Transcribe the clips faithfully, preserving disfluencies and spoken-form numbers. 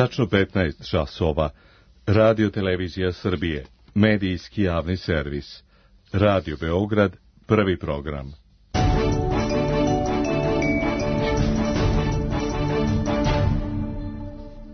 Tačno petnaest časova. Radio Televizija Srbije. Medijski javni servis. Radio Beograd. Prvi program.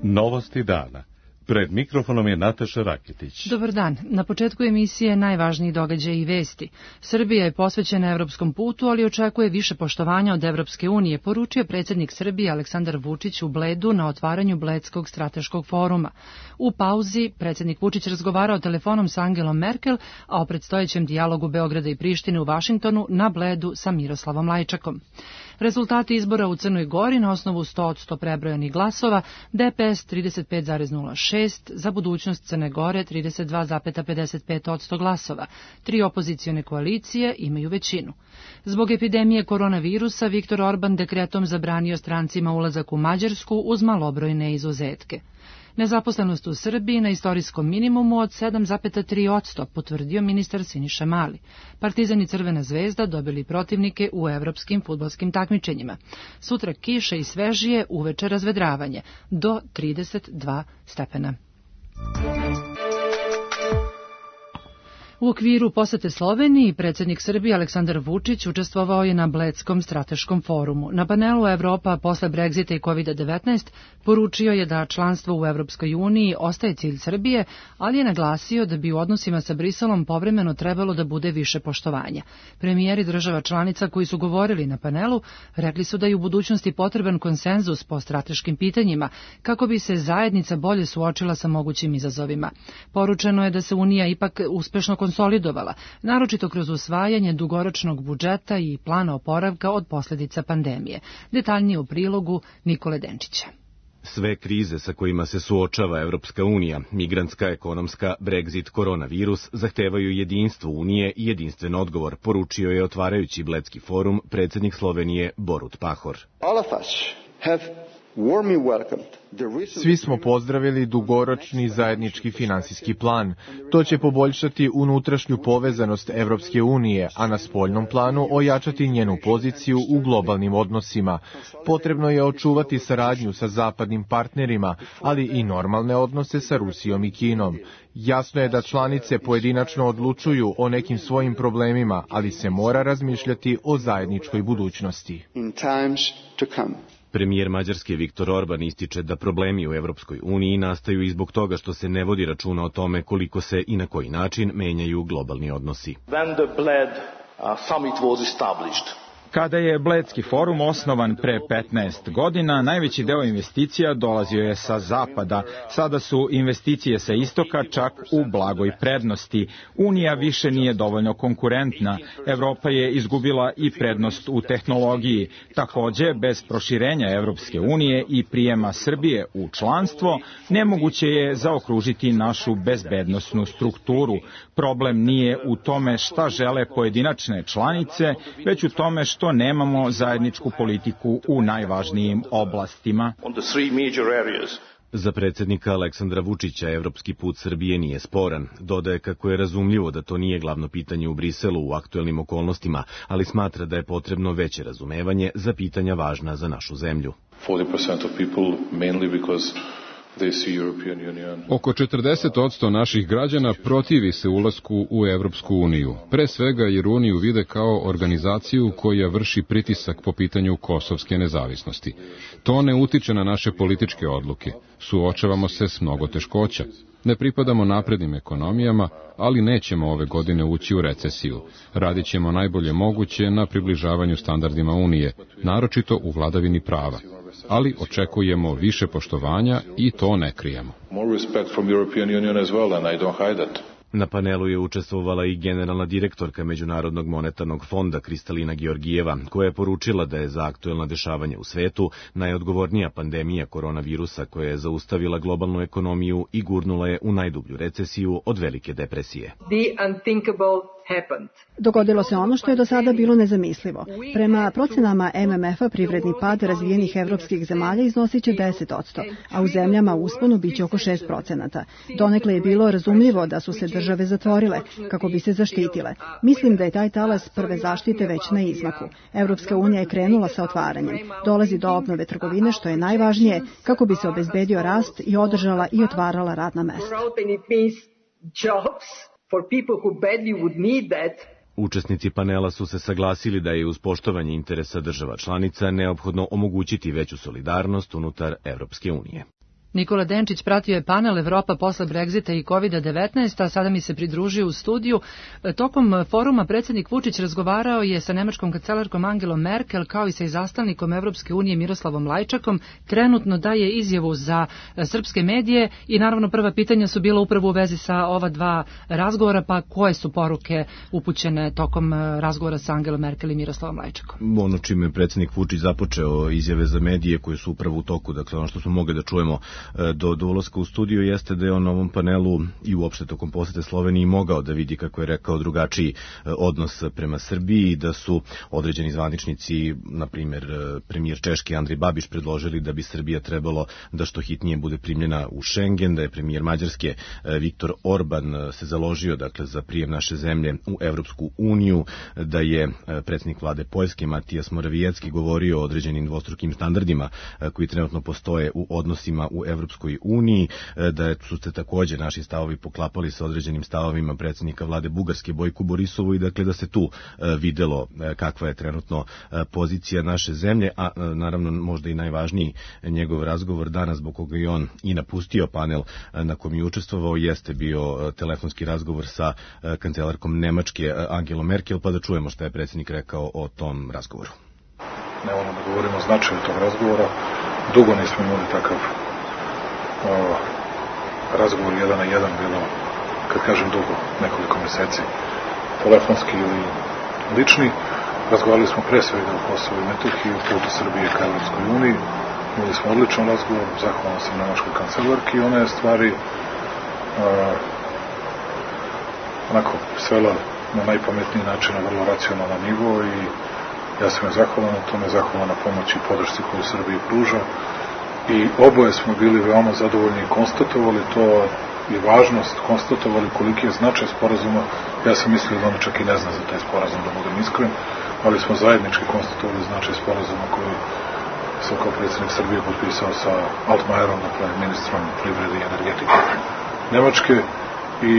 Novosti dana. Pred mikrofonom je Nataša Raketić. Dobar dan. Na početku emisije najvažniji događaj i vesti. Srbija je posvećena evropskom putu, ali očekuje više poštovanja od Evropske unije, poručio predsjednik Srbije Aleksandar Vučić u Bledu na otvaranju Bledskog strateškog foruma. U pauzi predsjednik Vučić razgovarao telefonom sa Angelom Merkel, a o predstojećem dijalogu Beograda i Prištine u Vašingtonu na Bledu sa Miroslavom Lajčakom. Rezultati izbora u Crnoj Gori na osnovu sto od sto prebrojanih glasova, D P S trideset pet zarez nula šest, za budućnost Crne Gore trideset dva zarez pedeset pet posto glasova. Tri opozicione koalicije imaju većinu. Zbog epidemije koronavirusa, Viktor Orban dekretom zabranio strancima ulazak u Mađarsku uz malobrojne izuzetke. Nezaposlenost u Srbiji na istorijskom minimumu od sedam zarez tri posto, potvrdio ministar Siniša Mali. Partizan i Crvena zvezda dobili protivnike u evropskim fudbalskim takmičenjima. Sutra kiše i svežije, uveče razvedravanje, do trideset dva stepena. U okviru posete Sloveniji, predsjednik Srbije Aleksandar Vučić učestvovao je na Bledskom strateškom forumu. Na panelu Evropa posle Brexita i kovid devetnaest poručio je da članstvo u Evropskoj uniji ostaje cilj Srbije, ali je naglasio da bi u odnosima sa Briselom povremeno trebalo da bude više poštovanja. Premijeri država članica koji su govorili na panelu rekli su da je u budućnosti potreban konsenzus po strateškim pitanjima, kako bi se zajednica bolje suočila sa mogućim izazovima. Poručeno je da se Unija ipak uspešno konsolidovala, naročito kroz usvajanje dugoročnog budžeta i plana oporavka od posljedica pandemije. Detaljnije u prilogu Nikole Denčića. Sve krize sa kojima se suočava Evropska unija, migrantska, ekonomska, Brexit, koronavirus, zahtevaju jedinstvo Unije i jedinstven odgovor, poručio je otvarajući Bledski forum predsjednik Slovenije Borut Pahor. Svi smo pozdravili dugoročni zajednički finansijski plan. To će poboljšati unutrašnju povezanost Evropske unije, a na spoljnom planu ojačati njenu poziciju u globalnim odnosima. Potrebno je očuvati saradnju sa zapadnim partnerima, ali i normalne odnose sa Rusijom i Kinom. Jasno je da članice pojedinačno odlučuju o nekim svojim problemima, ali se mora razmišljati o zajedničkoj budućnosti. Premijer Mađarske Viktor Orban ističe da problemi u Evropskoj uniji nastaju i zbog toga što se ne vodi računa o tome koliko se i na koji način menjaju globalni odnosi. When the Bled summit was established, Kada je Bledski forum osnovan pre petnaest godina, najveći deo investicija dolazio je sa zapada. Sada su investicije sa istoka čak u blagoj prednosti. Unija više nije dovoljno konkurentna. Evropa je izgubila i prednost u tehnologiji. Takođe, bez proširenja Evropske unije i prijema Srbije u članstvo, nemoguće je zaokružiti našu bezbednosnu strukturu. Problem nije u tome šta žele pojedinačne članice, već u tome što što nemamo zajedničku politiku u najvažnijim oblastima. Za predsjednika Aleksandra Vučića evropski put Srbije nije sporan. Dodaje kako je razumljivo da to nije glavno pitanje u Briselu u aktuelnim okolnostima, ali smatra da je potrebno veće razumevanje za pitanja važna za našu zemlju. Oko četrdeset posto naših građana protivi se ulasku u Evropsku uniju, pre svega jer Uniju vide kao organizaciju koja vrši pritisak po pitanju kosovske nezavisnosti. To ne utiče na naše političke odluke, suočavamo se s mnogo teškoća. Ne pripadamo naprednim ekonomijama, ali nećemo ove godine ući u recesiju. Radit ćemo najbolje moguće na približavanju standardima Unije, naročito u vladavini prava. Ali očekujemo više poštovanja i to ne krijemo. Na panelu je učestvovala i generalna direktorka Međunarodnog monetarnog fonda Kristalina Georgijeva, koja je poručila da je za aktuelna dešavanja u svetu najodgovornija pandemija koronavirusa koja je zaustavila globalnu ekonomiju i gurnula je u najdublju recesiju od velike depresije. The unthinkable Dogodilo se ono što je do sada bilo nezamislivo. Prema procenama M M F-a privredni pad razvijenih evropskih zemalja iznosit će deset posto, a u zemljama u usponu biće oko šest procenata. Donekle je bilo razumljivo da su se države zatvorile kako bi se zaštitile. Mislim da je taj talas prve zaštite već na izmaku. Evropska unija je krenula sa otvaranjem. Dolazi do obnove trgovine, što je najvažnije, kako bi se obezbedio rast i održala i otvarala radna mesta. Učesnici panela su se saglasili da je uz poštovanje interesa država članica neophodno omogućiti veću solidarnost unutar Evropske unije. Nikola Denčić pratio je panel Evropa posle Brexita i kovid devetnaest, a sada mi se pridružio u studiju. Tokom foruma predsjednik Vučić razgovarao je sa nemačkom kancelarkom Angelom Merkel kao i sa izaslanik Evropske unije Miroslavom Lajčakom. Trenutno daje izjavu za srpske medije i naravno prva pitanja su bila upravo u vezi sa ova dva razgovora, pa koje su poruke upućene tokom razgovora sa Angelom Merkel i Miroslavom Lajčakom? Ono čime je predsjednik Vučić započeo izjave za medije koje su upravo u toku, dakle ono što smo mogli da čujemo do, do ulaska u studiju jeste da je on na ovom panelu i uopšte tokom posete Sloveniji mogao da vidi, kako je rekao, drugačiji odnos prema Srbiji, da su određeni zvaničnici, na primjer premijer Češke Andrej Babiš, predložili da bi Srbija trebalo da što hitnije bude primljena u Schengen, da je premijer Mađarske Viktor Orban se založio dakle za prijem naše zemlje u Evropsku uniju, da je predsjednik vlade Poljske Matijas Morawiecki govorio o određenim dvostrukim standardima koji trenutno postoje u odnosima u Evropskoj uniji, da su se također naši stavovi poklapali sa određenim stavovima predsjednika vlade Bugarske Bojku Borisovu i dakle da se tu videlo kakva je trenutno pozicija naše zemlje, a naravno možda i najvažniji njegov razgovor danas, zbog koga je on i napustio panel na kom je učestvovao, jeste bio telefonski razgovor sa kancelarkom Nemačke Angelom Merkel, pa da čujemo šta je predsjednik rekao o tom razgovoru. Ne volim da govorimo o značaju tog razgovora, dugo nismo imali takav o, razgovor jedan na jedan, bilo, kad kažem dugo, nekoliko meseci, telefonski ili lični. Razgovarali smo pre svega o Kosovu i Metohiji, o putu Srbije ka Evropskoj uniji. Imali smo odličan razgovor, zahvalan sam nemačkoj kancelarki i ona je stvari a, onako svela na najpametniji način, na vrlo racionalan nivo, i ja sam je zahvalan na tome, zahvalan na pomoći i podršci koju Srbiji pruža. I oboje smo bili veoma zadovoljni i konstatovali to i važnost, konstatovali koliki je značaj sporazuma. Ja sam mislio da on čak i ne zna za taj sporazum, da budem iskren, ali smo zajednički konstatovali značaj sporazuma koji sam kao predsjednik Srbije potpisao sa Altmajerom, dakle ministrom privrede i energetike Nemačke. I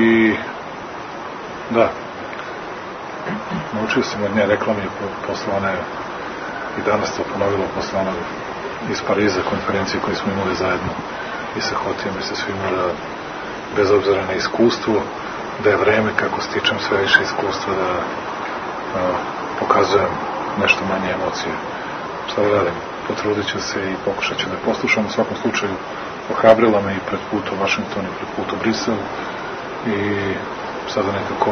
da, naučio sam od nje, rekla mi je posle one, i danas to ponovilo posle one iz Pariza konferencije koje smo imali zajedno i sa Hotijom i sa svima, da bez obzira na iskustvo, da je vreme kako stičem sve više iskustva, da a, pokazujem nešto manje emocije. Šta da radim? Potrudit ću se i pokušat ću da poslušam. U svakom slučaju ohrabrila me i pred put u Washington i pred put u Brisel, i sada nekako,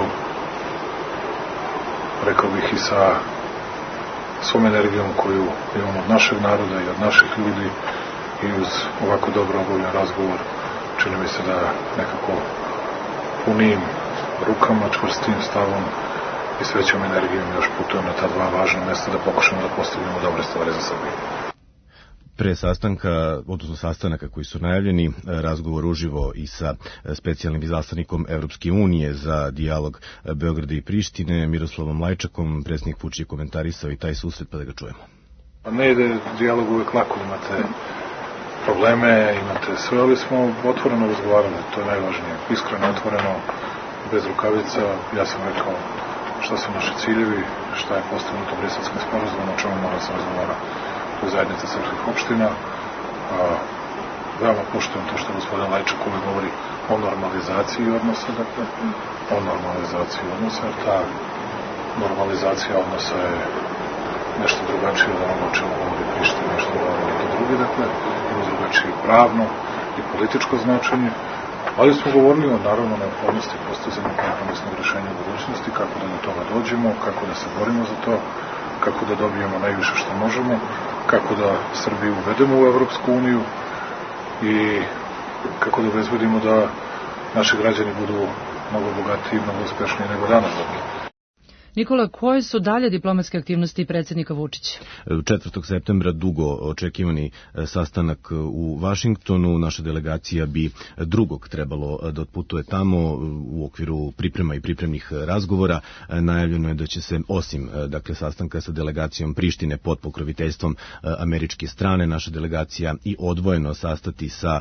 rekao bih, i sa svom energijom koju imam od našeg naroda i od naših ljudi i uz ovako dobro obavljen razgovor, čini mi se da nekako punim rukama, čvrstim stavom i s većom energijom još putujem na ta dva važna mesta da pokušamo da postignemo dobre stvari za Srbiju. Pre sastanka, odnosno sastanaka koji su najavljeni, razgovor uživo i sa specijalnim izaslanikom Evropske unije za dijalog Beograda i Prištine, Miroslavom Lajčakom, predsjednik Vučić je komentarisao i taj susret, pa da ga čujemo. Ne ide dijalog uvek lako, imate probleme, imate sve, ali smo otvoreno razgovarali, to je najvažnije, iskreno, otvoreno, bez rukavica. Ja sam rekao šta su naši ciljevi, šta je postignuto Briselskim sporazumom, o čemu mora se razgovara u zajednici srpskih opština. A, veoma poštujem to što gospodin Lajčak uvek govori o normalizaciji odnosa, dakle, o normalizaciji odnosa, jer ta normalizacija odnosa je nešto drugačije od onoga o čemu govori Priština, nešto govori neki drugi, dakle, ima drugačije pravno i političko značenje, ali smo govorili o, naravno, neophodnosti postizanja kompromisnog rešenja u budućnosti, kako da do toga dođemo, kako da se borimo za to, kako da dobijemo najviše što možemo, kako da Srbiju uvedemo u Evropsku uniju i kako da obezbedimo da naši građani budu mnogo bogatiji i mnogo uspešniji nego danas. Nikola, koje su dalje diplomatske aktivnosti predsjednika Vučića? četvrtog septembra dugo očekivani sastanak u Vašingtonu. Naša delegacija bi drugog trebalo da otputuje tamo u okviru priprema i pripremnih razgovora. Najavljeno je da će se, osim dakle, sastanka sa delegacijom Prištine pod pokroviteljstvom američke strane, naša delegacija i odvojeno sastati sa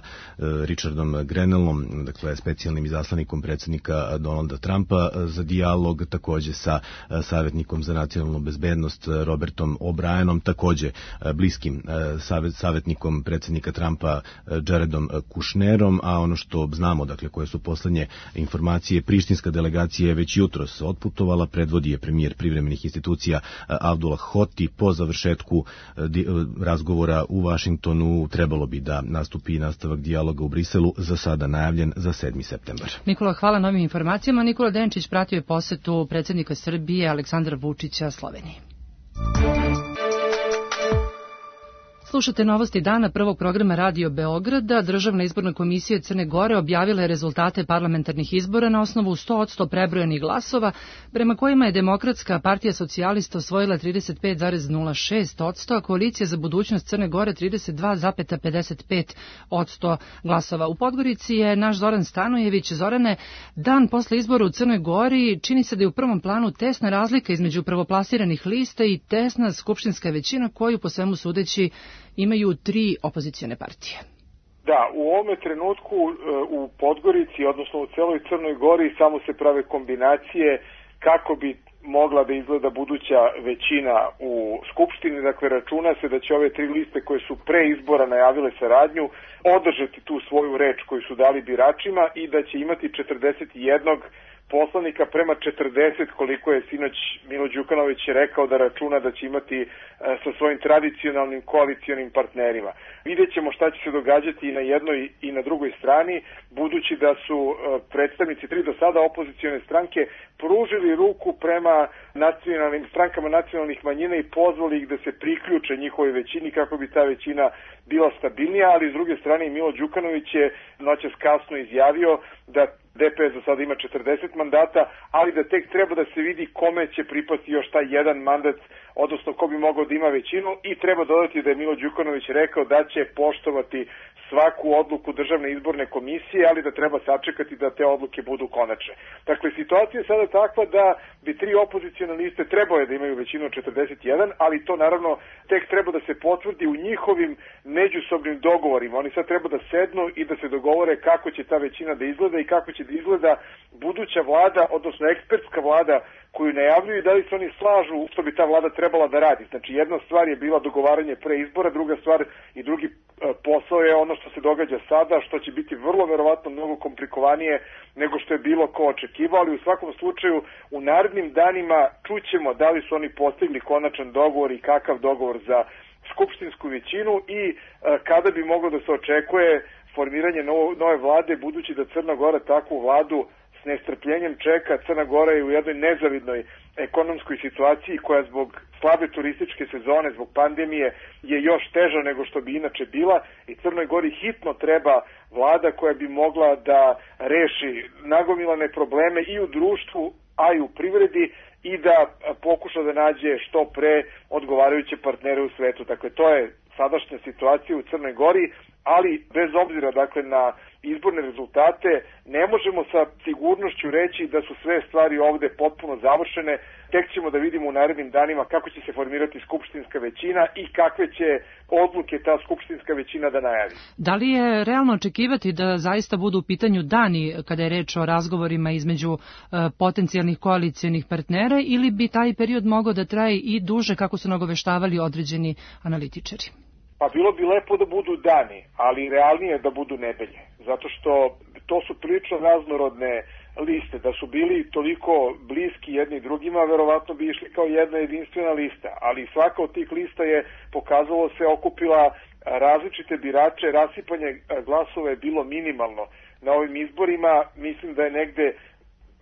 Richardom Grenellom, dakle specijalnim izaslanikom predsjednika Donalda Trumpa za dijalog, takođe sa savjetnikom za nacionalnu bezbednost Robertom O'Brienom, takođe bliskim savjetnikom predsjednika Trumpa Jaredom Kushnerom, a ono što znamo, dakle, koje su poslednje informacije, prištinska delegacija je već jutros otputovala, predvodi je premijer privremenih institucija Abdullah Hoti. Po završetku razgovora u Vašingtonu trebalo bi da nastupi nastavak dijaloga u Briselu, za sada najavljen za sedmi septembar. Nikola, hvala novim informacijama. Nikola Denčić pratio je posetu predsjednika Srbije Aleksandra Vučića Sloveniji. Slušate novosti dana prvog programa Radio Beograda. Državna izborna komisija Crne Gore objavila je rezultate parlamentarnih izbora na osnovu sto posto prebrojanih glasova, prema kojima je Demokratska partija socijalista osvojila trideset pet zarez nula šest posto, a Koalicija za budućnost Crne Gore trideset dva zarez pedeset pet posto glasova. U Podgorici je naš Zoran Stanojević. Zorane, dan posle izbora u Crnoj Gori čini se da je u prvom planu tesna razlika između prvoplasiranih lista i tesna skupštinska većina koju po svemu sudeći imaju tri opozicione partije. Da, u ovome trenutku u Podgorici, odnosno u celoj Crnoj Gori, samo se prave kombinacije kako bi mogla da izgleda buduća većina u Skupštini. Dakle, računa se da će ove tri liste koje su pre izbora najavile saradnju održati tu svoju reč koju su dali biračima i da će imati četrdeset jedan poslanika prema četrdeset, koliko je sinoć Milo Đukanović rekao da računa da će imati sa svojim tradicionalnim koalicionim partnerima. Vidjet ćemo šta će se događati i na jednoj i na drugoj strani, budući da su predstavnici tri do sada opozicione stranke pružili ruku prema nacionalnim strankama nacionalnih manjina i pozvali ih da se priključe njihovoj većini kako bi ta većina bila stabilnija, ali s druge strane Milo Đukanović je noćas kasno izjavio da D P S za sada ima četrdeset mandata, ali da tek treba da se vidi kome će pripasti još taj jedan mandat, odnosno ko bi mogao da ima većinu, i treba dodati da je Milo Đukanović rekao da će poštovati svaku odluku Državne izborne komisije, ali da treba sačekati da te odluke budu konačne. Dakle, situacija je sada takva da bi tri opozicione liste trebale da imaju većinu od četrdeset jedan, ali to naravno tek treba da se potvrdi u njihovim međusobnim dogovorima. Oni sad treba da sednu i da se dogovore kako će ta većina da izgleda i kako će da izgleda buduća vlada, odnosno ekspertska vlada koju najavljuju, i da li se oni slažu što bi ta vlada trebala da radi. Znači, jedna stvar je bila dogovaranje pre izbora, druga stvar i drugi posao je ono što se događa sada, što će biti vrlo verovatno mnogo komplikovanije nego što je bilo ko očekivao, ali u svakom slučaju u narednim danima čućemo da li su oni postigli konačan dogovor i kakav dogovor za skupštinsku većinu i e, kada bi moglo da se očekuje formiranje novo, nove vlade, budući da Crna Gora takvu vladu s nestrpljenjem čeka. Crna Gora je u jednoj nezavidnoj ekonomskoj situaciji koja zbog slabe turističke sezone, zbog pandemije je još teža nego što bi inače bila, i Crnoj Gori hitno treba vlada koja bi mogla da reši nagomilane probleme i u društvu, a i u privredi, i da pokuša da nađe što pre odgovarajuće partnere u svetu. Dakle, to je sadašnja situacija u Crnoj Gori, ali bez obzira dakle na izborne rezultate ne možemo sa sigurnošću reći da su sve stvari ovde potpuno završene. Tek ćemo da vidimo u narednim danima kako će se formirati skupštinska većina i kakve će odluke ta skupštinska većina da najavi. Da li je realno očekivati da zaista budu u pitanju dani kada je reč o razgovorima između e, potencijalnih koalicijonih partnera, ili bi taj period mogao da traje i duže, kako su nagoveštavali određeni analitičari? Pa bilo bi lepo da budu dani, ali realnije da budu nedelje, zato što to su prilično raznorodne liste. Da su bili toliko bliski jedni drugima, verovatno bi išli kao jedna jedinstvena lista, ali svaka od tih lista je, pokazalo se, okupila različite birače, rasipanje glasova je bilo minimalno na ovim izborima. Mislim da je negde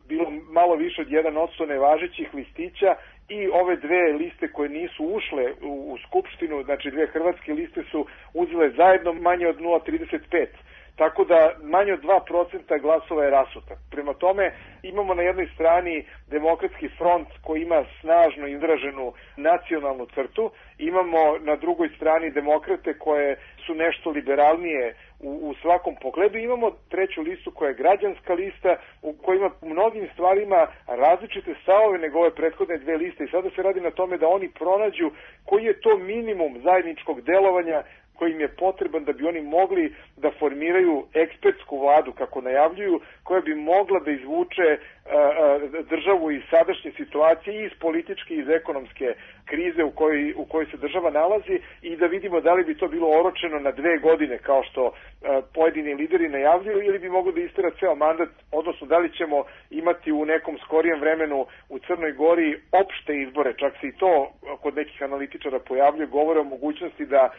bilo malo više od jedan posto nevažećih listića, i ove dve liste koje nisu ušle u, u Skupštinu, znači dve hrvatske liste, su uzele zajedno manje od nula zarez trideset pet. tako da manje od dva procenta glasova je rasuta. Prema tome imamo na jednoj strani Demokratski front koji ima snažno izraženu nacionalnu crtu, imamo na drugoj strani demokrate koje su nešto liberalnije u, u svakom pogledu, imamo treću listu koja je građanska lista u kojoj ima u mnogim stvarima različite stavove nego ove prethodne dve liste i sada se radi na tome da oni pronađu koji je to minimum zajedničkog delovanja koji im je potreban da bi oni mogli da formiraju ekspertsku vladu, kako najavljuju, koja bi mogla da izvuče a, a, državu iz sadašnje situacije i iz političke i iz ekonomske krize u kojoj, u kojoj se država nalazi i da vidimo da li bi to bilo oročeno na dve godine kao što a, pojedini lideri najavljuju ili bi moglo da istera ceo mandat, odnosno da li ćemo imati u nekom skorijem vremenu u Crnoj Gori opšte izbore, čak se i to kod nekih analitičara pojavljuje, govore o mogućnosti da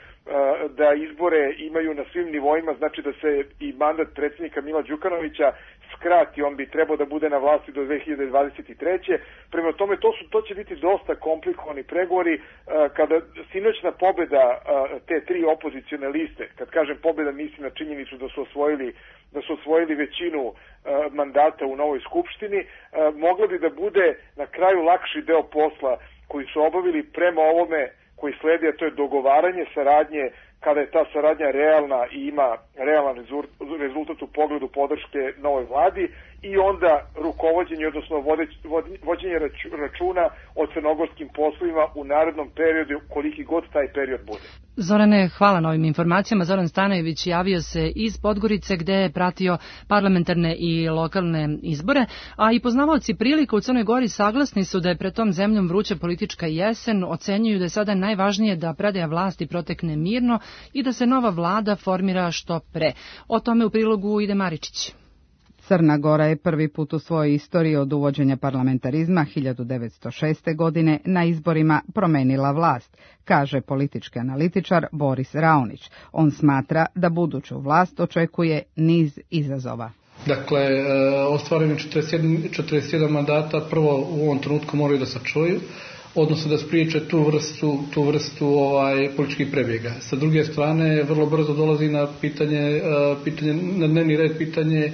da izbore imaju na svim nivoima, znači da se i mandat predsjednika Mila Đukanovića skrati, on bi trebao da bude na vlasti do dve hiljade dvadeset treće. Prema tome, to, su, to će biti dosta komplikovani pregovori. Kada sinoćna pobeda te tri opozicione liste, kad kažem pobeda, mislim na činjenicu da su osvojili, da su osvojili većinu mandata u novoj skupštini, mogla bi da bude na kraju lakši deo posla koji su obavili prema ovome koji sledi, a to je dogovaranje saradnje, kada je ta saradnja realna i ima realan rezultat u pogledu podrške novoj vladi i onda rukovođenje, odnosno vođenje računa o crnogorskim poslovima u narednom periodu, koliki god taj period bude. Zorane, hvala na ovim informacijama. Zoran Stanojević javio se iz Podgorice gde je pratio parlamentarne i lokalne izbore, a i poznavaoci prilika u Crnoj Gori saglasni su da je pred tom zemljom vruća politička jesen, ocenjuju da je sada najvažnije da predaja vlasti protekne mirno i da se nova vlada formira što pre. O tome u prilogu ide Maričić. Crna Gora je prvi put u svojoj istoriji od uvođenja parlamentarizma hiljadu devetsto šeste. godine na izborima promenila vlast, kaže politički analitičar Boris Raonić. On smatra da buduću vlast očekuje niz izazova. Dakle, ostvareni četrdeset jedan mandata prvo u ovom trenutku moraju da sačuvaju, odnosno da spriječe tu vrstu, tu vrstu ovaj, političkih prebjega. Sa druge strane, vrlo brzo dolazi na pitanje, pitanje na dnevni red pitanje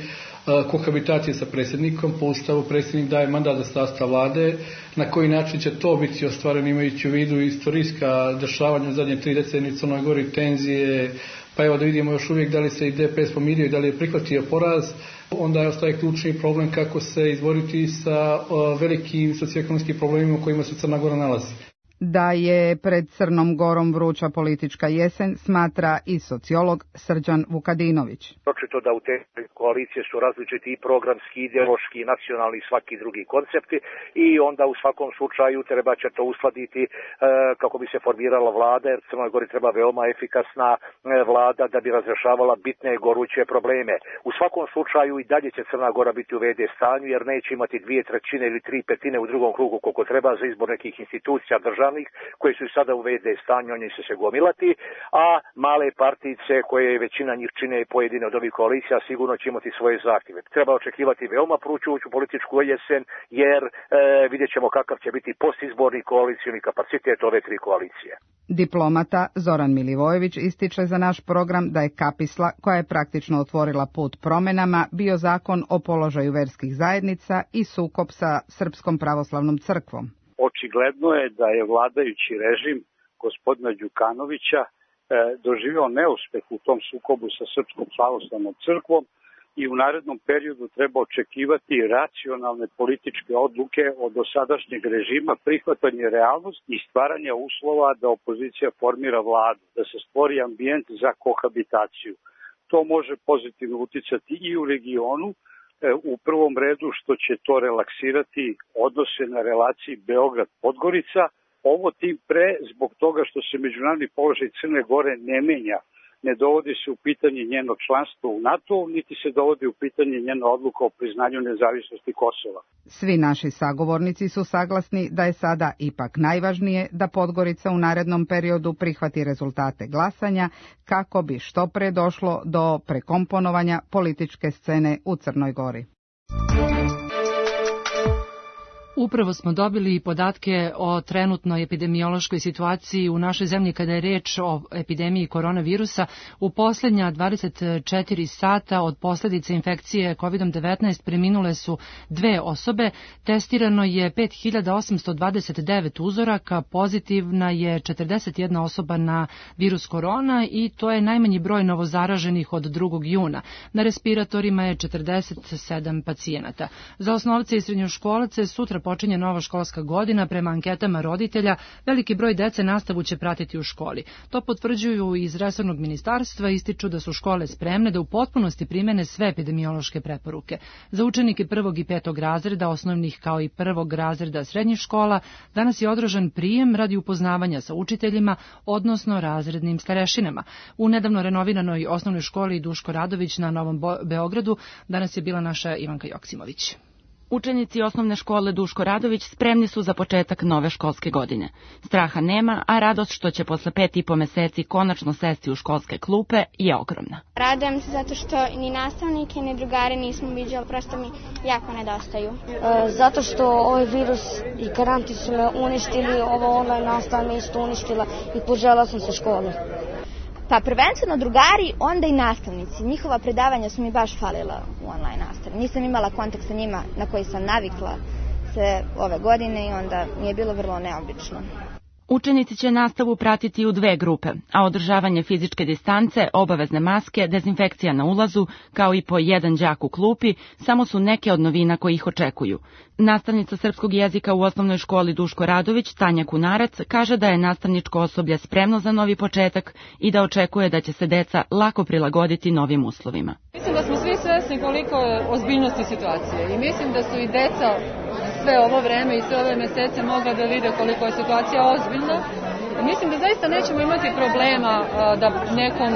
kohabitacije sa predsjednikom. Po ustavu predsjednik daje mandat za sastav vlade. Na koji način će to biti ostvareno imajući u vidu istorijska dešavanja u zadnje tri decenije u Crnoj Gori, tenzije, pa evo da vidimo još uvijek da li se i D P S pomirio i da li je prihvatio poraz. Onda je ostaje ključni problem kako se izboriti sa velikim socioekonomskim problemima u kojima se Crna Gora nalazi. Da je pred Crnom Gorom vruća politička jesen, smatra i sociolog Srđan Vukadinović. Očito da u te koalicije su različiti i programski, ideološki, nacionalni i svaki drugi koncepti i onda u svakom slučaju treba će to uskladiti e, kako bi se formirala vlada, jer Crnoj Gori treba veoma efikasna e, vlada da bi razrešavala bitne goruće probleme. U svakom slučaju i dalje će Crna Gora biti u V D stanju jer neće imati dvije trećine ili tri petine u drugom krugu koliko treba za izbor nekih institucija državnih koji su sada u V D stanju, oni će se gomilati, a male partice koje većina njih čine pojedine od ovih koalicija sigurno će imati svoje zahtjeve. Treba očekivati veoma pručujuću političku jesen jer e, vidjet ćemo kakav će biti postizborni koalicijni kapacitet ove tri koalicije. Diplomata Zoran Milivojević ističe za naš program da je kapisla koja je praktično otvorila put promenama bio zakon o položaju verskih zajednica i sukob sa Srpskom pravoslavnom crkvom. Očigledno je da je vladajući režim gospodina Đukanovića e, doživio neuspeh u tom sukobu sa Srpskom pravoslavnom crkvom i u narednom periodu treba očekivati racionalne političke odluke od dosadašnjeg režima, prihvatanje realnosti i stvaranja uslova da opozicija formira vladu, da se stvori ambijent za kohabitaciju. To može pozitivno uticati i u regionu, u prvom redu što će to relaksirati odnose na relaciji Beograd-Podgorica. Ovo tim pre zbog toga što se međunarodni položaj Crne Gore ne menja. Ne dovodi se u pitanje njeno članstvo u NATO, niti se dovodi u pitanje njena odluka o priznanju nezavisnosti Kosova. Svi naši sagovornici su saglasni da je sada ipak najvažnije da Podgorica u narednom periodu prihvati rezultate glasanja kako bi što pre došlo do prekomponovanja političke scene u Crnoj Gori. Upravo smo dobili podatke o trenutnoj epidemiološkoj situaciji u našoj zemlji kada je reč o epidemiji koronavirusa. U posljednja dvadeset četiri sata od posljedice infekcije kovid devetnaest preminule su dve osobe. Testirano je pet hiljada osamsto dvadeset devet uzoraka, pozitivna je četrdeset jedna osoba na virus korona i to je najmanji broj novozaraženih od drugog juna. Na respiratorima je četrdeset sedam pacijenata. Za osnovce i srednjoškolace sutra počinje nova školska godina. Prema anketama roditelja, veliki broj dece nastavu će pratiti u školi. To potvrđuju iz resornog ministarstva, ističu da su škole spremne da u potpunosti primene sve epidemiološke preporuke. Za učenike prvog i petog razreda osnovnih kao i prvog razreda srednjih škola danas je održan prijem radi upoznavanja sa učiteljima, odnosno razrednim starešinama. U nedavno renoviranoj osnovnoj školi Duško Radović na Novom Beogradu danas je bila naša Ivanka Joksimović. Učenici osnovne škole Duško Radović spremni su za početak nove školske godine. Straha nema, a radost što će posle pet i po meseci konačno sesti u školske klupe je ogromna. Radujem se zato što ni nastavnike ni drugare nismo viđali, prosto mi jako nedostaju. E, zato što ovaj virus i karantin su me uništili, ovo online nastava me isto uništila i požela sam se škole. Pa prvenstveno drugari, onda i nastavnici. Njihova predavanja su mi baš falila u online nastavi. Nisam imala kontakt sa njima na koji sam navikla sve ove godine i onda mi je bilo vrlo neobično. Učenici će nastavu pratiti u dve grupe, a održavanje fizičke distance, obavezne maske, dezinfekcija na ulazu, kao i po jedan đak u klupi, samo su neke od novina koji ih očekuju. Nastavnica srpskog jezika u osnovnoj školi Duško Radović, Tanja Kunarac, kaže da je nastavničko osoblje spremno za novi početak i da očekuje da će se deca lako prilagoditi novim uslovima. Mislim da smo svi svesni koliko je ozbiljnosti situacije i mislim da su i deca sve ovo vreme i sve ove mesece mogla da vide koliko je situacija ozbiljna. Mislim da zaista nećemo imati problema da nekom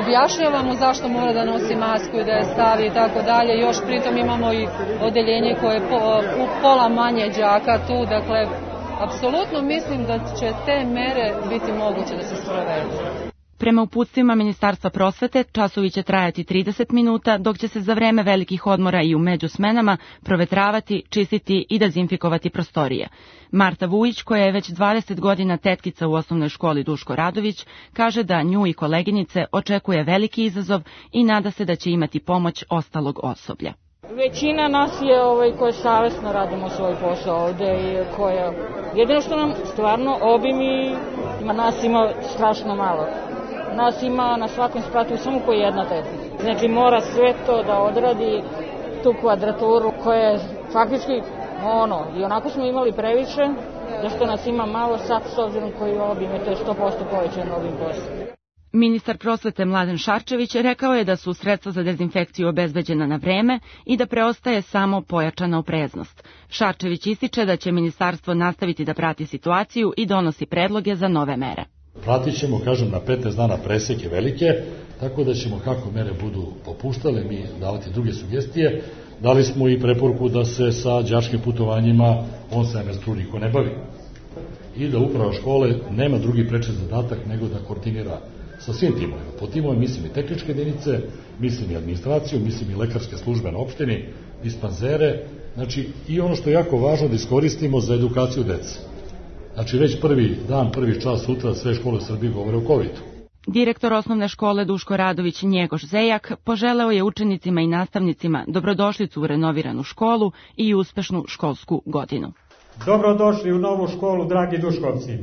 objašnjavamo zašto mora da nosi masku i da je stavi i tako dalje. Još pritom imamo i odeljenje koje je po, pola manje đaka tu, dakle, apsolutno mislim da će te mere biti moguće da se sprovedu. Prema uputstvima Ministarstva prosvete, časovi će trajati trideset minuta, dok će se za vreme velikih odmora i u međusmenama provetravati, čistiti i dezinfikovati prostorije. Marta Vujić, koja je već dvadeset godina tetkica u osnovnoj školi Duško Radović, kaže da nju i koleginice očekuje veliki izazov i nada se da će imati pomoć ostalog osoblja. Većina nas je ovaj, koje savjesno radimo svoj posao ovde i koja, jedino što nam stvarno obim i ima, nas ima strašno malo. Nas ima na svakom spratu samo po jedna tetkica. Znači mora sve to da odradi, tu kvadraturu koja je faktički ono, i onako smo imali previše, zašto nas ima malo sad s obzirom koji obim je to je sto posto povećan ovim poslom. Ministar prosvete Mladen Šarčević rekao je da su sredstva za dezinfekciju obezbeđena na vreme i da preostaje samo pojačana opreznost. Šarčević ističe da će ministarstvo nastaviti da prati situaciju i donosi predloge za nove mere. Pratit ćemo, kažem, na petnaest dana preseke velike, tako da ćemo kako mere budu popuštale, mi davati druge sugestije. Dali smo i preporuku da se sa đačkim putovanjima on semestru niko ne bavi. I da uprava škole nema drugi preči zadatak nego da koordinira sa svim timovima. Po timovima mislim i tehničke jedinice, mislim i administraciju, mislim i lekarske službe na opštini, dispanzere, znači i ono što je jako važno da iskoristimo za edukaciju dece. Znači već prvi dan, prvi čas sutra sve škole u Srbiji govore o kovidu. Direktor osnovne škole Duško Radović Njegoš Zejak poželeo je učenicima i nastavnicima dobrodošlicu u renoviranu školu i uspešnu školsku godinu. Dobrodošli u novu školu, dragi Duškovci.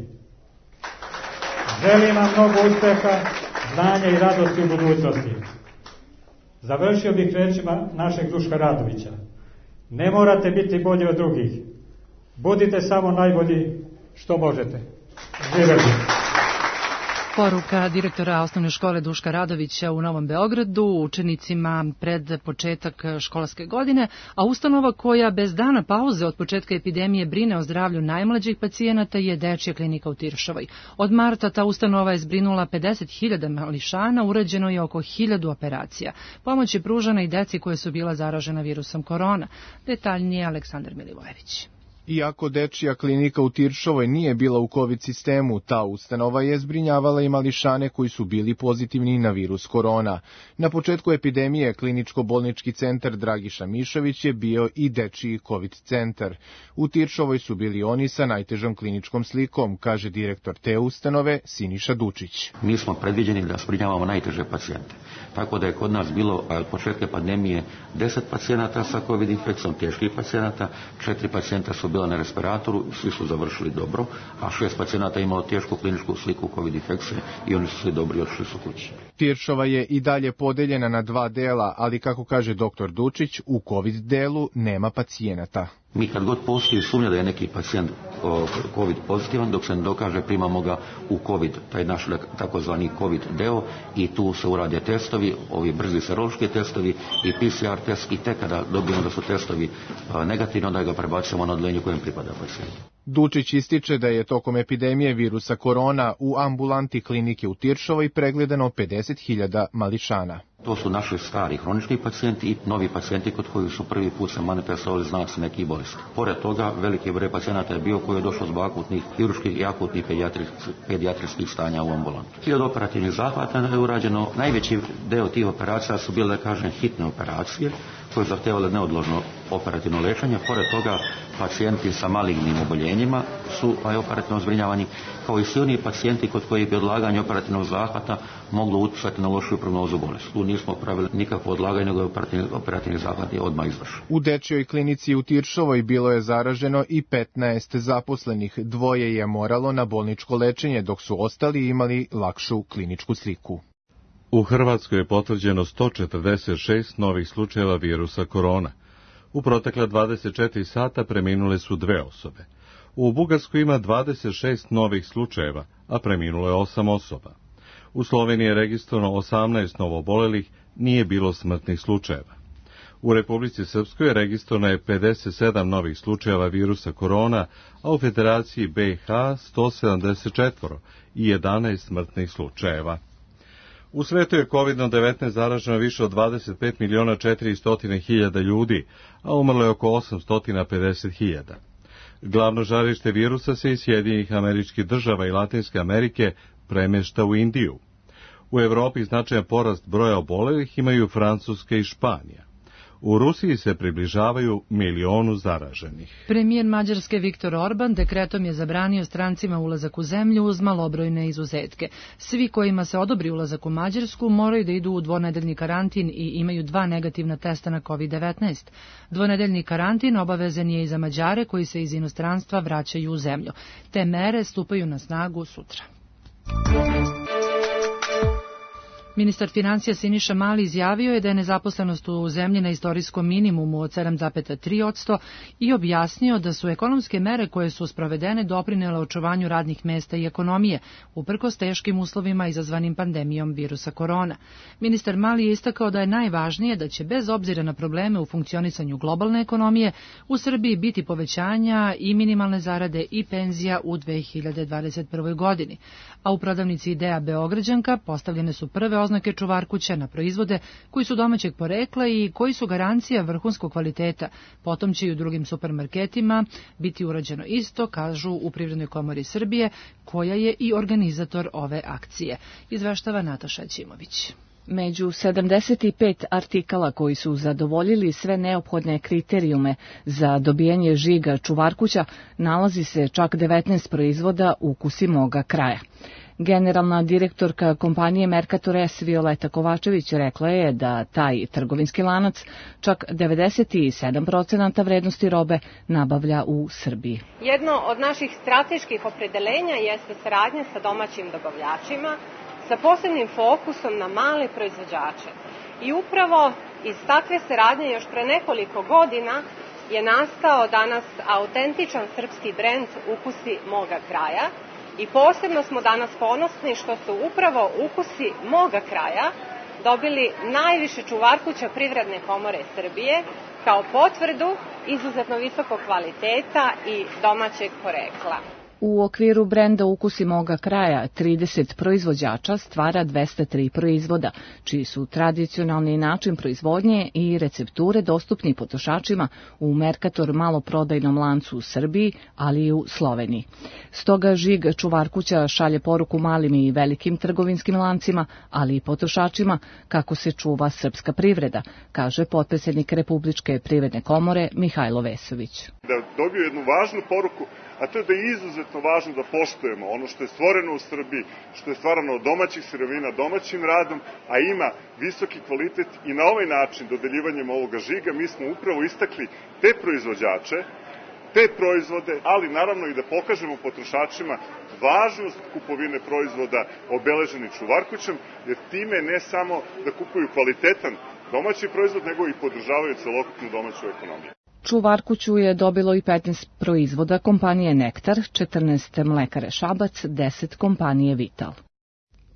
Želim vam mnogo uspeha, znanja i radosti u budućnosti. Završio bih rečima našeg Duška Radovića. Ne morate biti bolji od drugih. Budite samo najbolji što možete. Živjeli. Poruka direktora osnovne škole Duška Radovića u Novom Beogradu učenicima pred početak školske godine, a ustanova koja bez dana pauze od početka epidemije brine o zdravlju najmlađih pacijenata je Dečija klinika u Tiršovoj. Od marta ta ustanova je zbrinula pedeset hiljada mališana, urađeno je oko hiljadu operacija. Pomoć je pružana i deci koje su bila zaražena virusom korona. Detaljnije Aleksandar Milivojević. Iako dečija klinika u Tiršovoj nije bila u COVID sistemu, ta ustanova je zbrinjavala i mališane koji su bili pozitivni na virus korona. Na početku epidemije kliničko-bolnički centar Dragiša Mišović je bio i dečiji COVID centar. U Tiršovoj su bili oni sa najtežom kliničkom slikom, kaže direktor te ustanove Siniša Dučić. Mi smo predviđeni da zbrinjavamo najteže pacijente. Tako da je kod nas bilo od početka pandemije deset pacijenata sa COVID infekcijom, teških pacijenata, četiri pacijenta su bila na respiratoru, svi su završili dobro, a šest pacijenata imalo tešku kliničku sliku COVID infekcije i oni su svi dobri i otišli su kući. Tiršova je i dalje podeljena na dva dela, ali kako kaže doktor Dučić, u COVID delu nema pacijenata. Mi kad god postoji sumnja da je neki pacijent COVID pozitivan, dok se ne dokaže, primamo ga u COVID, taj naš takozvani COVID deo, i tu se urade testovi, ovi brzi serološki testovi i P C R test, i tek kada dobijemo da su testovi negativni, onda ga prebacujemo na odeljenje kojem pripada pacijent. Dučić ističe da je tokom epidemije virusa korona u ambulanti klinike u Tiršovoj pregledano pedeset hiljada mališana. To su naši stari hronični pacijenti i novi pacijenti kod koji su prvi put se manifestovali znaci nekih bolesti. Pored toga, veliki broj pacijenata je bio koji je došao zbog akutnih hirurških i akutnih pedijatrijskih stanja u ambulantu. Hiljadu operativnih zahvata je urađeno. Najveći deo tih operacija su bile, da kažem, hitne operacije koje zahtevale neodložno operativno lečenje. Pored toga, pacijenti sa malignim oboljenjima su operativno zbrinjavani, kao i svi oni pacijenti kod koji bi odlaganje operativnog zahvata moglo utjecati na lošiju prognozu bolesti. Tu nismo pravili nikakvo odlaganje, nego je operativni, operativni zahvat je odmah izvršen. U dečjoj klinici u Tiršovoj bilo je zaraženo i petnaest zaposlenih. Dvoje je moralo na bolničko lečenje, dok su ostali imali lakšu kliničku sliku. U Hrvatskoj je potvrđeno sto četrdeset šest novih slučajeva virusa korona. U protekla dvadeset četiri sata preminule su dve osobe. U Bugarskoj ima dvadeset šest novih slučajeva, a preminulo je osam osoba. U Sloveniji je registrovano osamnaest novoobolelih, nije bilo smrtnih slučajeva. U Republici Srpskoj je registrovano je pedeset sedam novih slučajeva virusa korona, a u Federaciji B i H sto sedamdeset četiri i jedanaest smrtnih slučajeva. U svetu je kovid devetnaest zaraženo više od dvadeset pet miliona četiristo hiljada ljudi, a umrlo je oko osamsto pedeset hiljada. Glavno žarište virusa se iz Sjedinjenih Američkih Država i Latinske Amerike premješta u Indiju. U Evropi značajan porast broja obolelih imaju Francuska i Španija. U Rusiji se približavaju milionu zaraženih. Premijer Mađarske Viktor Orban dekretom je zabranio strancima ulazak u zemlju uz malobrojne izuzetke. Svi kojima se odobri ulazak u Mađarsku moraju da idu u dvonedeljni karantin i imaju dva negativna testa na kovid devetnaest. Dvonedeljni karantin obavezan je i za Mađare koji se iz inostranstva vraćaju u zemlju. Te mere stupaju na snagu sutra. Ministar financija Siniša Mali izjavio je da je nezaposlenost u zemlji na istorijskom minimumu od sedam zarez tri posto i objasnio da su ekonomske mere koje su sprovedene doprinele očuvanju radnih mesta i ekonomije, uprkos teškim uslovima izazvanim pandemijom virusa korona. Ministar Mali je istakao da je najvažnije da će bez obzira na probleme u funkcionisanju globalne ekonomije u Srbiji biti povećanja i minimalne zarade i penzija u dve hiljade dvadeset prve. godini. A u prodavnici Ideja Beograđanka postavljene su prve oznake čuvarkuća na proizvode koji su domaćeg porekla i koji su garancija vrhunskog kvaliteta. Potom će i u drugim supermarketima biti urađeno isto, kažu u Privrednoj komori Srbije, koja je i organizator ove akcije. Izveštava Nataša Ćimović. Među sedamdeset pet artikala koji su zadovoljili sve neophodne kriterijume za dobijanje žiga čuvarkuća nalazi se čak devetnaest proizvoda Ukusi moga kraja. Generalna direktorka kompanije Mercator S. Violeta Kovačević rekla je da taj trgovinski lanac čak devedeset sedam procenata vrednosti robe nabavlja u Srbiji. Jedno od naših strateških opredeljenja jeste saradnja sa domaćim dobavljačima sa posebnim fokusom na male proizvođače. I upravo iz takve saradnje još pre nekoliko godina je nastao danas autentičan srpski brend Ukusi moga kraja. I posebno smo danas ponosni što su upravo Ukusi moga kraja dobili najviše čuvarkuća Privredne komore Srbije kao potvrdu izuzetno visokog kvaliteta i domaćeg porekla. U okviru brenda Ukusi moga kraja trideset proizvođača stvara dvesta tri proizvoda, čiji su tradicionalni način proizvodnje i recepture dostupni potrošačima u Mercator maloprodajnom lancu u Srbiji, ali i u Sloveniji. Stoga žig Čuvarkuća šalje poruku malim i velikim trgovinskim lancima, ali i potrošačima kako se čuva srpska privreda, kaže potpredsjednik Republičke privredne komore Mihajlo Vesović. Da dobiju jednu važnu poruku, a to je da je izuzetno važno da poštujemo ono što je stvoreno u Srbiji, što je stvarano od domaćih sirovina, domaćim radom, a ima visoki kvalitet i na ovaj način, dodeljivanjem ovoga žiga, mi smo upravo istakli te proizvođače, te proizvode, ali naravno i da pokažemo potrošačima važnost kupovine proizvoda obeleženih Čuvarkućem, jer time ne samo da kupuju kvalitetan domaći proizvod, nego i podržavaju celokupnu domaću ekonomiju. Čuvarkuću je dobilo i petnaest proizvoda kompanije Nektar, četrnaest mlekare Šabac, deset kompanije Vital.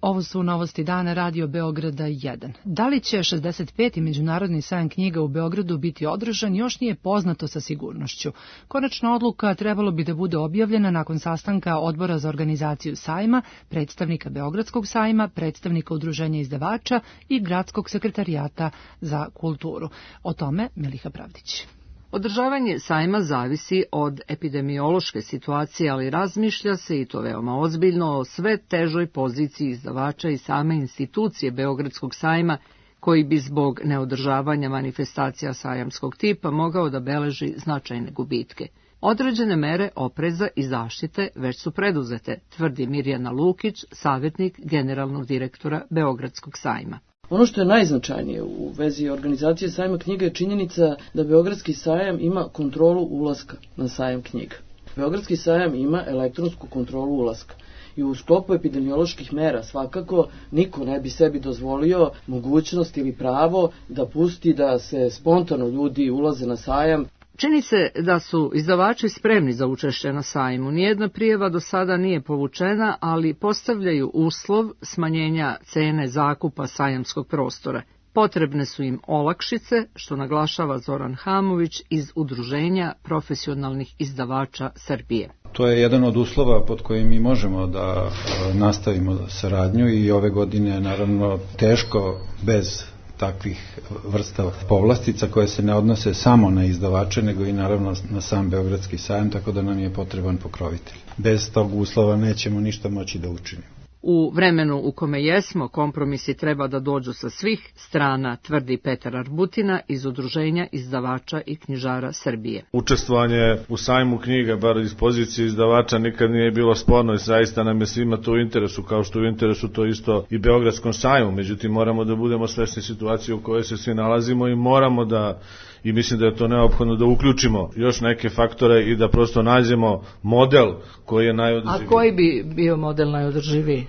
Ovo su novosti dana Radio Beograda jedan. Da li će šezdeset peti Međunarodni sajam knjiga u Beogradu biti održan, još nije poznato sa sigurnošću. Konačna odluka trebalo bi da bude objavljena nakon sastanka Odbora za organizaciju sajma, predstavnika Beogradskog sajma, predstavnika Udruženja izdavača i Gradskog sekretarijata za kulturu. O tome Miliha Pravdić. Održavanje sajma zavisi od epidemiološke situacije, ali razmišlja se, i to veoma ozbiljno, o sve težoj poziciji izdavača i same institucije Beogradskog sajma, koji bi zbog neodržavanja manifestacija sajamskog tipa mogao da beleži značajne gubitke. Određene mere opreza i zaštite već su preduzete, tvrdi Mirjana Lukić, savjetnik generalnog direktora Beogradskog sajma. Ono što je najznačajnije u vezi organizacije sajma knjiga je činjenica da Beogradski sajam ima kontrolu ulaska na sajam knjiga. Beogradski sajam ima elektronsku kontrolu ulaska i u sklopu epidemioloških mera svakako niko ne bi sebi dozvolio mogućnost ili pravo da pusti da se spontano ljudi ulaze na sajam. Čini se da su izdavači spremni za učešće na sajmu. Nijedna prijava do sada nije povučena, ali postavljaju uslov smanjenja cene zakupa sajamskog prostora. Potrebne su im olakšice, što naglašava Zoran Hamović iz Udruženja profesionalnih izdavača Srbije. To je jedan od uslova pod kojim mi možemo da nastavimo saradnju i ove godine naravno teško bez takvih vrsta povlastica koje se ne odnose samo na izdavače, nego i naravno na sam Beogradski sajam, tako da nam je potreban pokrovitelj. Bez tog uslova nećemo ništa moći da učinimo. U vremenu u kome jesmo, kompromisi treba da dođu sa svih strana, tvrdi Petar Arbutina iz Udruženja izdavača i knjižara Srbije. Učestvovanje u sajmu knjiga, bar iz pozicije izdavača, nikad nije bilo sporno i zaista nam je svima to u interesu, kao što u interesu to isto i Beogradskom sajmu. Međutim, moramo da budemo svesni situacije u kojoj se svi nalazimo i moramo da, i mislim da je to neophodno, da uključimo još neke faktore i da prosto nađemo model koji je najodrživiji. A koji bi bio model najodrživiji?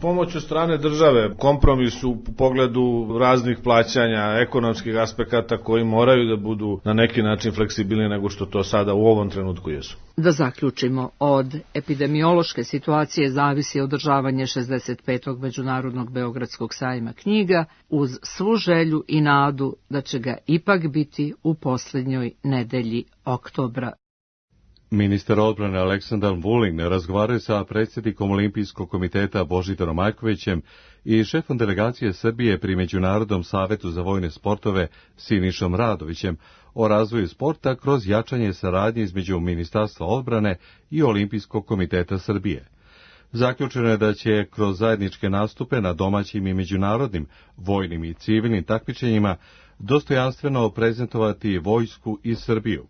Pomoć od strane države, kompromis u pogledu raznih plaćanja, ekonomskih aspekata koji moraju da budu na neki način fleksibilni nego što to sada u ovom trenutku jesu. Da zaključimo, od epidemiološke situacije zavisi održavanje šezdeset petog Međunarodnog Beogradskog sajma knjiga, uz svu želju i nadu da će ga ipak biti u posljednjoj nedelji oktobra. Ministar odbrane Aleksandar Vulin razgovaraju sa predsjednikom Olimpijskog komiteta Božidarom Majkovićem i šefom delegacije Srbije pri Međunarodnom savetu za vojne sportove Sinišom Radovićem o razvoju sporta kroz jačanje saradnje između Ministarstva odbrane i Olimpijskog komiteta Srbije. Zaključeno je da će kroz zajedničke nastupe na domaćim i međunarodnim vojnim i civilnim takmičenjima dostojanstveno prezentovati vojsku i Srbiju.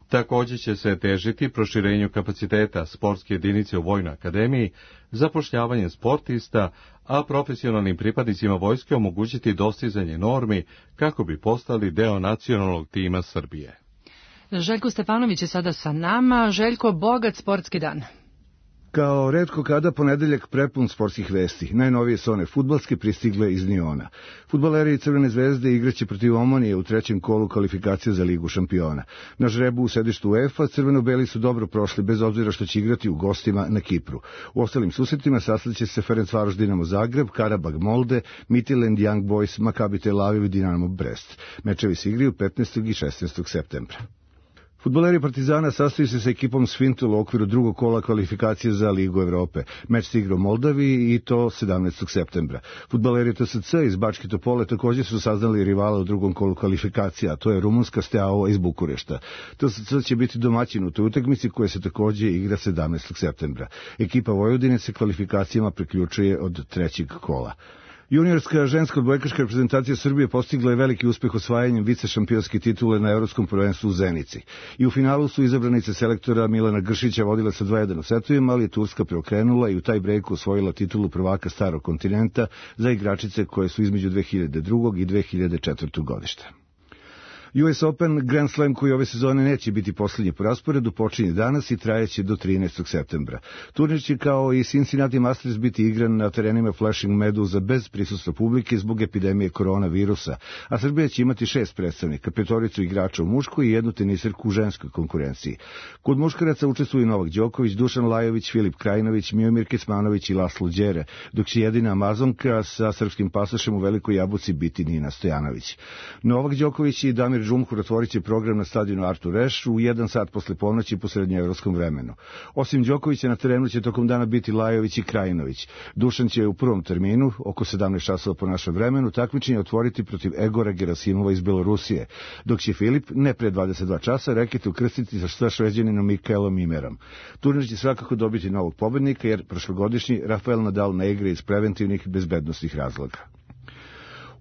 Također će se težiti proširenju kapaciteta sportske jedinice u Vojnoj akademiji, zapošljavanjem sportista, a profesionalnim pripadnicima vojske omogućiti dostizanje normi kako bi postali deo nacionalnog tima Srbije. Željko Stefanović je sada sa nama. Željko, bogat sportski dan. Kao retko kada ponedeljak prepun sportskih vesti. Najnovije su one fudbalske pristigle iz Niona. Fudbaleri Crvene zvezde igraće protiv Omonije u trećem kolu kvalifikacije za Ligu šampiona. Na žrebu u sedištu UEFA crveno-beli su dobro prošli bez obzira što će igrati u gostima na Kipru. U ostalim susretima sastaće se Ferencvaroš Dinamo Zagreb, Karabag Molde, Midtjylland Young Boys, Maccabi Tel Aviv i Dinamo Brest. Mečevi se igraju petnaestog i šesnaestog septembra. Fudbaleri Partizana sastaju se sa ekipom Svintul u okviru drugog kola kvalifikacije za Ligu Evrope. Meč se igra u Moldaviji i to sedamnaestog septembra. Fudbaleri T S C iz Bačke Topole također su saznali rivala u drugom kolu kvalifikacija, a to je rumunska Steaua iz Bukurešta. T S C će biti domaćin u toj utakmici koja se također igra sedamnaestog septembra. Ekipa Vojvodine se kvalifikacijama priključuje od trećeg kola. Juniorska ženska odbojkaška reprezentacija Srbije postigla je veliki uspeh osvajanjem vice šampionske titule na Evropskom prvenstvu u Zenici. I u finalu su izabranice selektora Milana Gršića vodile sa dva jedan u setovima, ali je Turska preokrenula i u taj brejku osvojila titulu prvaka starog kontinenta za igračice koje su između dve hiljade druge. i dve hiljade četvrte. godište. U S Open Grand Slam koji ove sezone neće biti posljednji po rasporedu počinje danas i trajeće do trinaestog septembra. Turnir će kao i Cincinnati Masters biti igran na terenima Flushing Meadowsa bez prisustva publike zbog epidemije koronavirusa, a Srbija će imati šest predstavnika, petoricu igrača u muškoj i jednu teniserku u ženskoj konkurenciji. Kod muškaraca učestvuju Novak Đoković, Dušan Lajović, Filip Krajinović, Miomir Kecmanović i Laslo Đere, dok će jedina Amazonka sa srpskim pasošem u Velikoj Jabuci biti Nina Stojanović. Novak Đoković i Damir Džumhur otvorit će program na stadionu Artur Ashe u jedan sat posle ponoći po srednjoevropskom vremenu. Osim Đokovića na terenu će tokom dana biti Lajović i Krajinović. Dušan će u prvom terminu, oko sedamnaest časova po našem vremenu, takmičenje otvoriti protiv Egora Gerasimova iz Belorusije, dok će Filip, ne pre dvadeset dva časa, reket ukrstiti sa Šveđaninom Mikaelom Imerom. Turnir će svakako dobiti novog pobednika, jer prošlogodišnji Rafael Nadal ne igra iz preventivnih bezbednosnih razloga.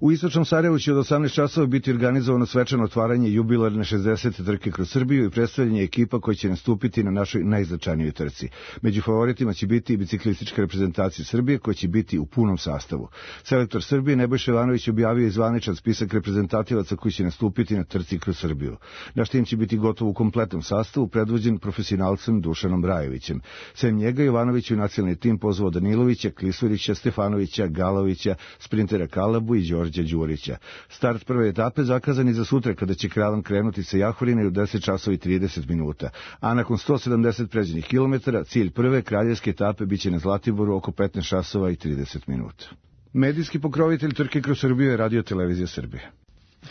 U istočnom Sarajevu će od osamnaest časova biti organizovano svečano otvaranje jubilarne šezdesete trke kroz Srbiju i predstavljanje ekipa koji će nastupiti na našoj najznačajnijoj trci. Među favoritima će biti i biciklistička reprezentacija Srbije koja će biti u punom sastavu. Selektor Srbije Nebojša Jovanović objavio je zvaničan spisak reprezentativaca koji će nastupiti na trci kroz Srbiju. Naš tim će biti gotov u kompletnom sastavu, predvođen profesionalcem Dušanom Brajevićem. Sem njega Jovanović u nacionalni tim pozvao Danilovića, Klisurića, Stefanovića, Galovića, sprintera Kalabu i Đorđa Đurića. Start prve etape zakazan je za sutra kada će Kravan krenuti sa Jahorine u deset časova i trideset minuta, a nakon sto sedamdeset pređenih kilometara cilj prve kraljevske etape biće na Zlatiboru oko petnaest časova i trideset minuta. Medijski pokrovitelj trke kroz Srbiju je Radio Televizija Srbije.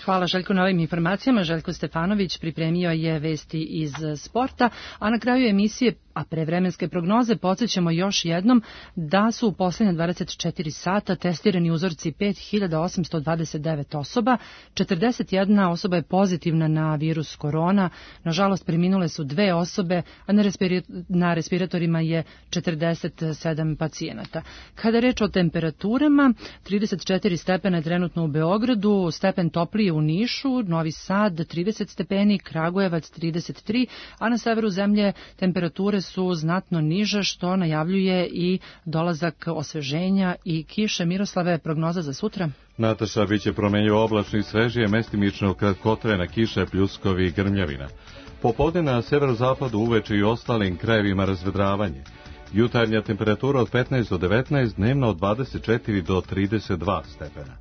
Hvala Željko na ovim informacijama. Željko Stefanović pripremio je vesti iz sporta, a na kraju emisije, a pre vremenske prognoze, podsjećamo još jednom da su u posljednje dvadeset četiri sata testirani uzorci pet hiljada osamsto dvadeset devet osoba, četrdeset jedna osoba je pozitivna na virus korona, nažalost preminule su dve osobe, a na, respiri, na respiratorima je četrdeset sedam pacijenata. Kada je reč o temperaturama, trideset četiri stepena je trenutno u Beogradu, stepen toplije u Nišu, Novi Sad trideset stepeni, Kragujevac trideset tri, a na severu zemlje temperature su znatno niže, što najavljuje i dolazak osveženja i kiše. Miroslave, prognoza za sutra? Nataša, biće promenljivo oblačno i svežije, mestimično kratkotrajna kiša, pljuskovi i grmljavina. Popodne na severozapadu, uveče i ostalim krajevima razvedravanje. Jutarnja temperatura od petnaest do devetnaest, dnevna od dvadeset četiri do trideset dva stepena.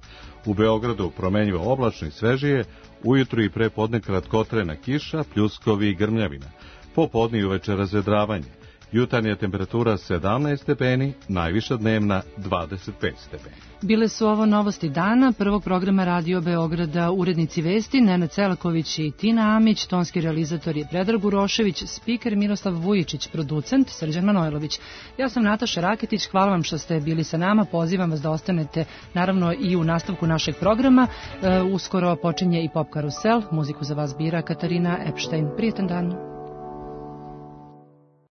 U Beogradu promenljivo oblačno i svežije, ujutru i pre podne kratkotrajna kiša, pljuskovi i grmljavina. Popodne i uveče razvedravanje. Jutarnja temperatura sedamnaest stepeni, najviša dnevna dvadeset pet stepeni. Bile su ovo novosti dana, prvog programa Radio Beograda, urednici vesti Nenad Selaković i Tina Amić, tonski realizator je Predrag Urošević, spiker Miroslav Vujičić, producent Srđan Manojlović. Ja sam Nataša Raketić, hvala vam što ste bili sa nama, pozivam vas da ostanete naravno i u nastavku našeg programa. E, uskoro počinje i Pop Karusel, muziku za vas bira Katarina Epštajn. Prijetan dan.